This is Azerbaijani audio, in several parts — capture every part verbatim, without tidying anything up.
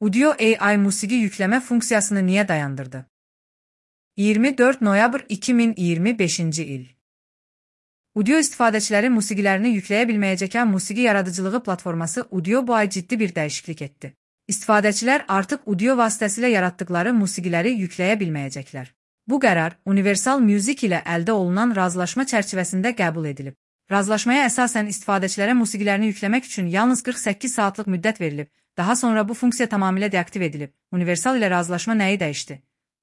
Udio A I musiqi yükləmə funksiyasını niyə dayandırdı? iyirmi dörd noyabr iki min iyirmi beşinci il. Udio istifadəçiləri musiqilərini yükləyə bilməyəcəkən musiqi yaradıcılığı platforması Udio bu ay ciddi bir dəyişiklik etdi. İstifadəçilər artıq Udio vasitəsilə yaratdıkları musiqiləri yükləyə bilməyəcəklər. Bu qərar Universal Music ilə əldə olunan razılaşma çərçivəsində qəbul edilib. Razılaşmaya əsasən istifadəçilərə musiqilərini yükləmək üçün yalnız qırx səkkiz saatlıq müddət verilib. Daha sonra bu funksiya tamamilə deaktiv edilib. Universal ilə razılaşma nəyi dəyişdi?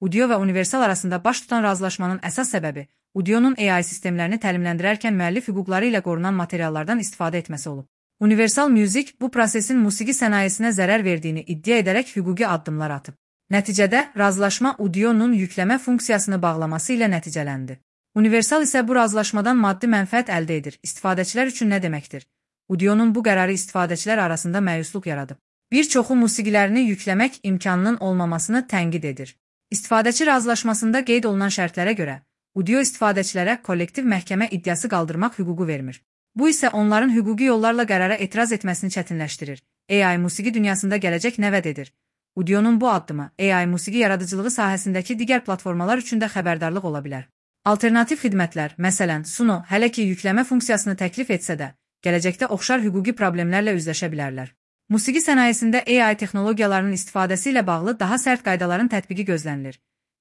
Udio və Universal arasında baş tutan razılaşmanın əsas səbəbi Udio'nun A I sistemlərini təlimləndirərkən müəllif hüquqları ilə qorunan materiallardan istifadə etməsi olub. Universal Music bu prosesin musiqi sənayesinə zərər verdiyini iddia edərək hüquqi addımlar atıb. Nəticədə razılaşma Udio'nun yükləmə funksiyasını bağlaması ilə nəticələndi. Universal isə bu razılaşmadan maddi mənfəət əldə edir. İstifadəçilər üçün nə deməkdir? Udio'nun bu qərarı istifadəçilər arasında məyusluq yaradıb. Bir çoxu musiqilərini yükləmək imkanının olmamasını tənqid edir. İstifadəçi razılaşmasında qeyd olunan şərtlərə görə, Udio istifadəçilərə kollektiv məhkəmə iddiası qaldırmaq hüququ vermir. Bu isə onların hüquqi yollarla qərara etiraz etməsini çətinləşdirir. A I musiqi dünyasında gələcək nə vəd edir? Udio'nun bu addımı A I musiqi yaradıcılığı sahəsindəki digər platformalar üçün də xəbərdarlıq ola bilər. Alternativ xidmətlər, məsələn, Suno, hələ ki yükləmə funksiyasını təklif etsə də, gələcəkdə oxşar hüquqi problemlərlə üzləşə bilərlər. Musiqi sənayesində A I texnologiyalarının istifadəsi ilə bağlı daha sərt qaydaların tətbiqi gözlənilir.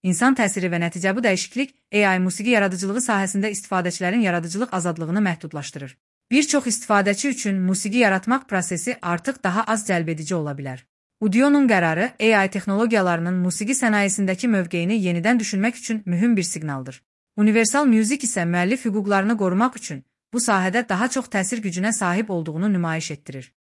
İnsan təsiri və nəticə bu dəyişiklik A I musiqi yaradıcılığı sahəsində istifadəçilərin yaradıcılıq azadlığını məhdudlaşdırır. Bir çox istifadəçi üçün musiqi yaratmaq prosesi artıq daha az cəlbedici ola bilər. Udio'nun qərarı A I texnologiyalarının musiqi sənayesindəki mövqeyini yenidən düşünmək üçün mühüm bir siqnaldır. Universal Music isə müəllif hüquqlarını qorumaq üçün bu sahədə daha çox təsir gücünə sahib olduğunu nümayiş etdirir.